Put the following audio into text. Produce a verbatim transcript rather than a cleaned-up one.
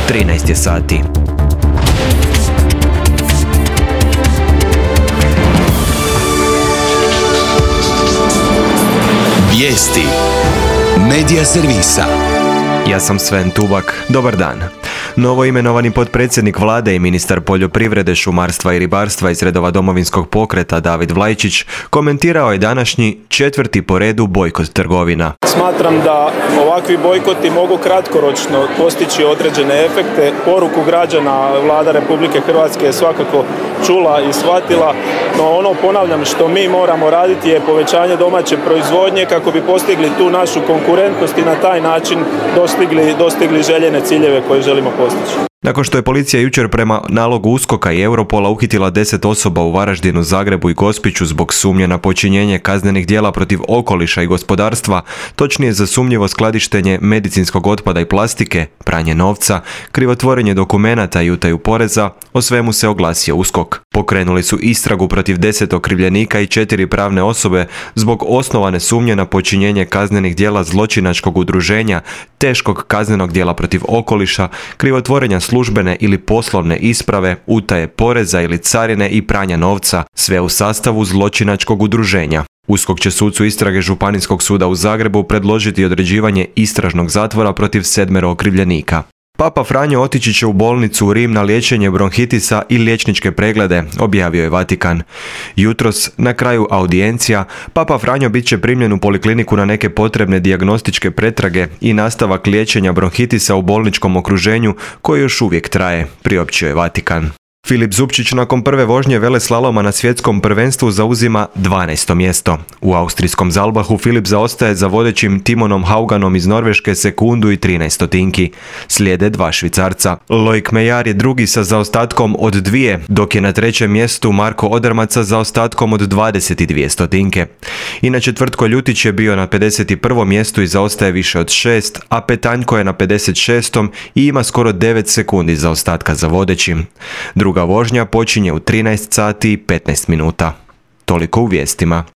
trinaest je sati. Vijesti Medija servisa. Ja sam Sven Tubak. Dobar dan. Novo imenovani potpredsjednik vlade i ministar poljoprivrede, šumarstva i ribarstva iz redova Domovinskog pokreta David Vlaičić komentirao je današnji četvrti po redu bojkot trgovina. Smatram da ovakvi bojkoti mogu kratkoročno postići određene efekte. Poruku građana Vlada Republike Hrvatske je svakako čula i shvatila, no ono, ponavljam, što mi moramo raditi je povećanje domaće proizvodnje kako bi postigli tu našu konkurentnost i na taj način dostigli, dostigli željene ciljeve koje želimo postići. Nakon što je policija jučer prema nalogu USKOK-a i Europola uhitila deset osoba u Varaždinu, Zagrebu i Gospiću zbog sumnje na počinjenje kaznenih djela protiv okoliša i gospodarstva, točnije za sumnjivo skladištenje medicinskog otpada i plastike, pranje novca, krivotvorenje dokumenata i utaju poreza, o svemu se oglasio USKOK. Pokrenuli su istragu protiv deset okrivljenika i četiri pravne osobe zbog osnovane sumnje na počinjenje kaznenih djela zločinačkog udruženja, teškog kaznenog djela protiv okoliša, krivotvorenja službene ili poslovne isprave, utaje poreza ili carine i pranja novca, sve u sastavu zločinačkog udruženja. USKOK će sucu istrage Županijskog suda u Zagrebu predložiti određivanje istražnog zatvora protiv sedmero okrivljenika. Papa Franjo otići će u bolnicu u Rim na liječenje bronhitisa i liječničke preglede, objavio je Vatikan. Jutros, na kraju audijencija, Papa Franjo bit će primljen u polikliniku na neke potrebne dijagnostičke pretrage i nastavak liječenja bronhitisa u bolničkom okruženju koji još uvijek traje, priopćio je Vatikan. Filip Zupčić nakon prve vožnje veleslaloma na svjetskom prvenstvu zauzima dvanaesto mjesto. U austrijskom Zalbahu Filip zaostaje za vodećim Timonom Hauganom iz Norveške sekundu i trinaest stotinki. Slijede dva Švicarca. Loic Meillard je drugi sa zaostatkom od dvije, dok je na trećem mjestu Marko Odermatt sa zaostatkom od dvadeset dvije stotinke. Inače Tvrtko Ljutić je bio na pedeset prvom mjestu i zaostaje više od šest, a Petanjko je na pedeset šestom i ima skoro devet sekundi zaostatka za vodećim. Druga vožnja počinje u trinaest sati i petnaest minuta. Toliko u vijestima.